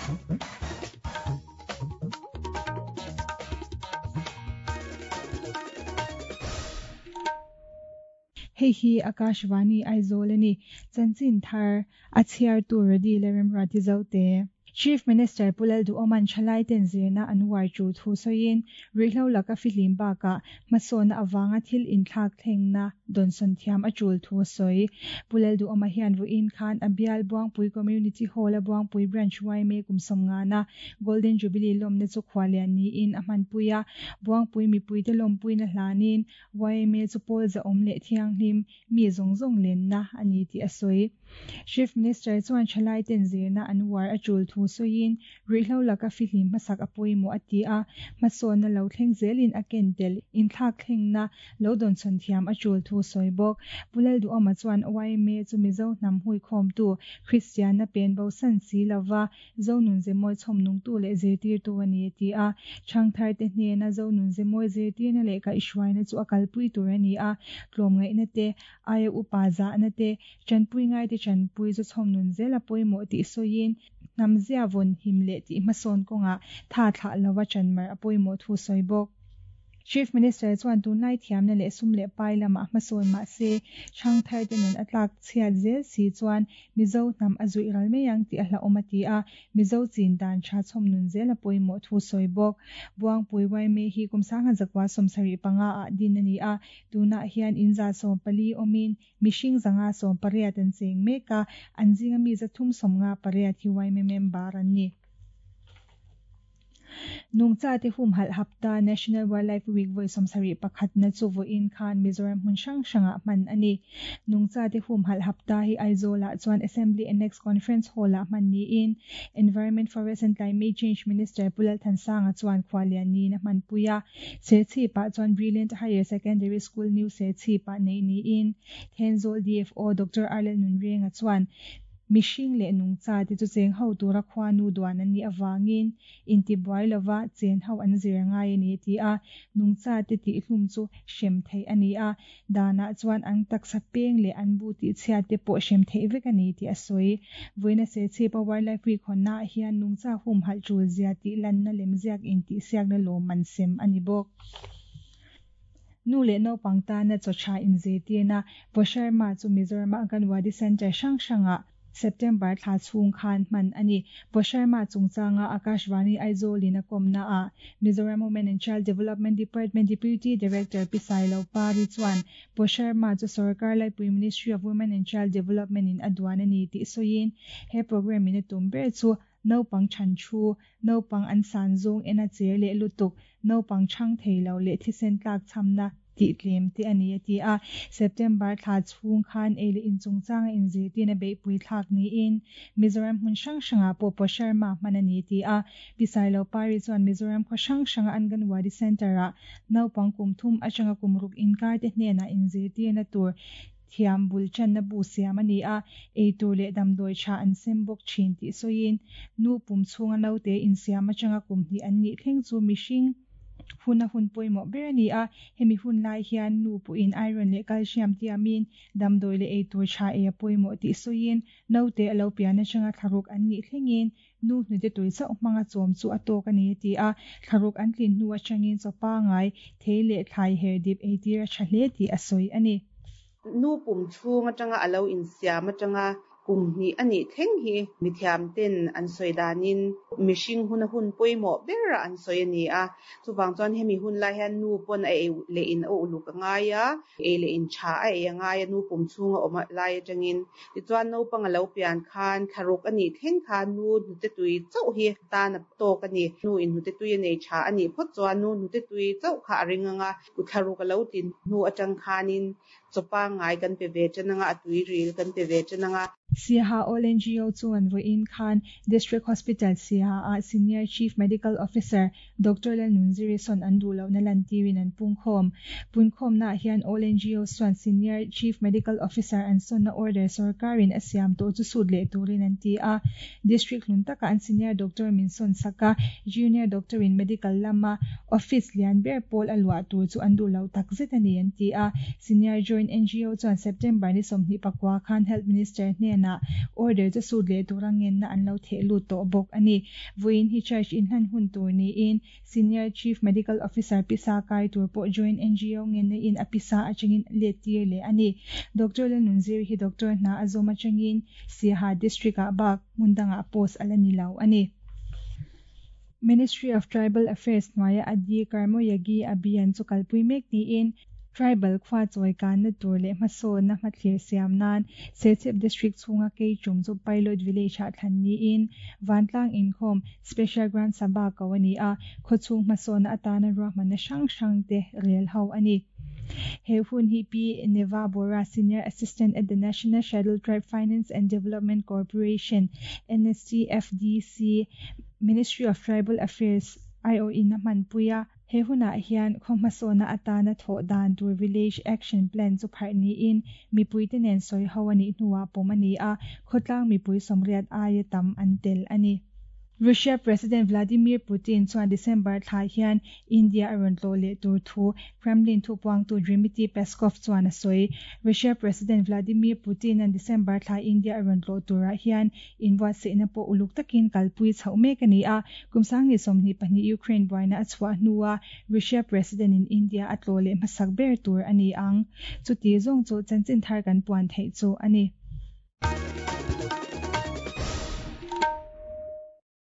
Hei hi Akashvani Aizawl a ni. Chanchin thar a chhiartu Rody Leremruati Zote. Chief Minister Pu Lalduhawma'n thalaiten zirna an uar chu thu sawiin, ruihhlo laka fihlim bakah hmasawnna avanga thil inthlak thlengna dawnsawn thiam a tul thu a sawi. Pu Lalduhawma hian vawiin khan a bial Buangpui Community Hall-a Buangpui Branch yma kum sawmngana Golden Jubilee lawmna chu khuallian niin a hmanpui a, Buangpui mipuite lawmpuina hlanin yma chu pawl zahawm leh thianghlim mi zawng zawng lenna a ni tih a sawi. Chief Minister chuan thalaiten zirna an uar a tul thu sawiin, ruihhlo laka fihlim hmasak a pawimawh a ti a, hmasawnna lo thleng zelin a ken tel inthlakthlengna lo dawnchhawn thiam a tul thu sawi bawk. Pu Lalduhawma chuan yma chu Mizo hnam huikhawmtu, Kristianna pen bosan si lova Zonun Zemawi chhawmnungtu leh zirtirtu a ni a ti a. Thangtharte hnena Zonun Zemawi zirtirna leh kaihhruaina chu a kalpui tur a ni a, tlawmngaihna te, aia upa zahna te, tanpui ngaite tanpui chu chhawmnun zel a pawimawh tih sawiin, hnamzia vawn him leh tih hmasawn kawngah tha thlah lova chanmar a pawimawh thu sawi bawk. Chief Minister chuan tunlai thiamna leh sum leh pai lamah hmasawn mah se, thangtharte nun a tlak chhiat zel si chuan Mizo hnam a zuih ral mai ang tih a hlauhawm a ti a, Mizo chin dan tha chhawm nun zel a pawimawh thu sawi bawk. Buangpui Yma hi kum sangha zakua 75 ah din a ni a, tunah hian in 140 awmin mihring 518 an cheng mek a, an zinga mi 358 hi Yma member an ni. Nungchate humhalh hapta National Wildlife Week vawi 71na chu vawiin khan Mizoram hmun hrang hrangah hman a ni. Nungchate humhalh hapta hi Aizawlah chuan Assembly Annex Conference Hall-ah hman niin Environment, Forest and Climate Change Minister Pu Lalthansanga chuan khuallian niin a hmanpui a. Serchhipah chuan Brilliant Higher Secondary School New Serchhipah neih niin Thenzawl DFO Doctor Arlel Nunrenga chuan Mihring leh nungcha te chu cheng ho tura khuanu duan an nih avangin intibuai lova chen ho an zir ngai a ni a ti a, nungcha te tihhlum chu hrem theih a ni a, danah chuan an taksa peng leh an bu tihchhiat te pawh hrem theih vek a ni tih a sawi. Vawiina Serchhipa Wildlife Week hawnnaah hian nungcha humhalh tul zia tih lanna lemziak intihsiakna lawmman sem a ni bawk. Nu leh naupang tana chaw tha inzirtirna Pu Sharma chu Mizoram Anganwadi Centre hrang hrangah September thla chhung khan hman a ni. Pu Sharma chungchanga Akashvani Aizawl-in a kawmnaah Mizoram Women and Child Development Department Deputy Director Pi Sailo Pari chuan Pu Sharma chu sorkar laipui Ministry of Women and Child Development-in a duan a ni tih sawiin he programme-in a tum ber chu Naupang chhan thu, naupang an san zawng en a cher leh lutuk, naupang chhang thei lo leh thisen tlak chhamna tih tlem te a ni a ti a. September thla chhung khan ei leh in chungchanga inzirtirna beihpui thlak niin Mizoram hmun hrang hrangah pawh Posharma hman a ni a ti a. Pi Sailopari chuan Mizoram khaw hrang hranga Anganwadi Centre-ah naupang kum thum atanga kum ruk inkar te hnenah inzirtirna tur Thiam bul channa bu siam a ni a, eitur leh damdawi tha an sem bawk thin tih sawiin, nu pum chhunga naute insiam atanga kum hnih an nih thleng chu mihring huna hun pawimawh ber a ni a, hemi hun lai hian nu pawhin iron leh calcium tiamin damdawi leh eitur tha ei a pawimawh tih sawiin, naute a lo pian atanga thlaruk an nih thlengin nu hnute tui chauh hmanga chawm chu a tawk a ni a ti a, thlaruk an tlin hnu atangin chaw pangai, thei leh thlai her dip eitir a tha hle tih a sawi a ni. Nu pum chhung atanga a lo insiam atanga kum hnih a nih thleng hi mithiam ten an sawi danin mihring huna hun pawimawh ber a an sawi a ni a, chuvang chuan hemi hun lai hian nu pawn a ei leh in a uluk a ngai a, ei leh in tha a ei a ngai a, nu pum chhunga awm lai atangin. Tichuan naupang a lo pian khan thlaruk a nih thleng khan nu hnute tui chauh hi tan a tawk a ni. Nu in hnute tui a nei tha a nih phawt chuan nu hnute tui chauh kha a ring ang a, thlaruk a lo tin hnu atang khanin chaw pangngai kan pe ve tan ang a, a tui ril kan pe ve tan ang a. Siaha All NGO chuan vawiin khan District Hospital Siaha-ah Senior Chief Medical Officer Doctor Lalnunziri sawn an duh lohna lantirin an pungkhawm. Punkhawmnaah hian All NGOs chuan Senior Chief Medical Officer an sawnna order sorkarin a siam tawh chu sut leh turin an ti a. District hlun takah an senior doctor min sawn sak a, junior doctor in medical lama office lian ber pawl a luah tur chu an duh lo takzet a ni an ti a. Senior Joint. Joint NGO chuan September ni 29 khan Health Minister hnenah order chu sut leh tura ngenna an lo theh lut tawh bawk a ni. Vawiin hi charge inhlan hun tur niin Senior Chief Medical Officer pisa kai tur pawh Joint NGO ngenna in a pisa atangin let tir leh a ni. Doctor Lalnunziri hi doctor hna a zawm atangin Siaha District ah bak hmun dangah post a la ni lo a ni. Ministry of Tribal Affairs hnuaia Adi Karmoyagi Abhiyan chu kalpui mek niin Tribal khua chawi kanna tur leh hmasawnna hmathlir siam nan Serchhip District chhunga Keichum chu Pilot Village ah thlan niin Vantlang inkhawm Special Grant Sabha ko a ni a, khawchhung hmasawnna atana ruahmanna hrang hrang te rel ho a ni. He hun hi Pi Neva Bora, Senior Assistant at the National Scheduled Tribe Finance and Development Corporation, NSTFDC, Ministry of Tribal Affairs aiawhin a hmanpui a. He hunah hian khaw hmasawnna atana thawh dan tur Village Action Plan chu pharh niin mipuite nen sawi ho a nih hnuah pawm a ni a, khawtlang mipui sawmriat aia tam an tel a ni. Russia President Vladimir Putin chuan December thla hian India a rawn tlawh leh tur thu Kremlin thupuangtu Dmitry Peskov chuan a sawi. Russia President Vladimir Putin-a'n December thla India a rawn tlawh turah hian inbuatsaihna pawh uluk takin kalpui chhoh mek a ni a. Kum sangni 22 Ukraine buaina a chhuah hnua Russia President-in India a tlawh leh hmasak ber tur a ni ang. Chuti zawng chu chanchin thar kan puan theih chu a ni.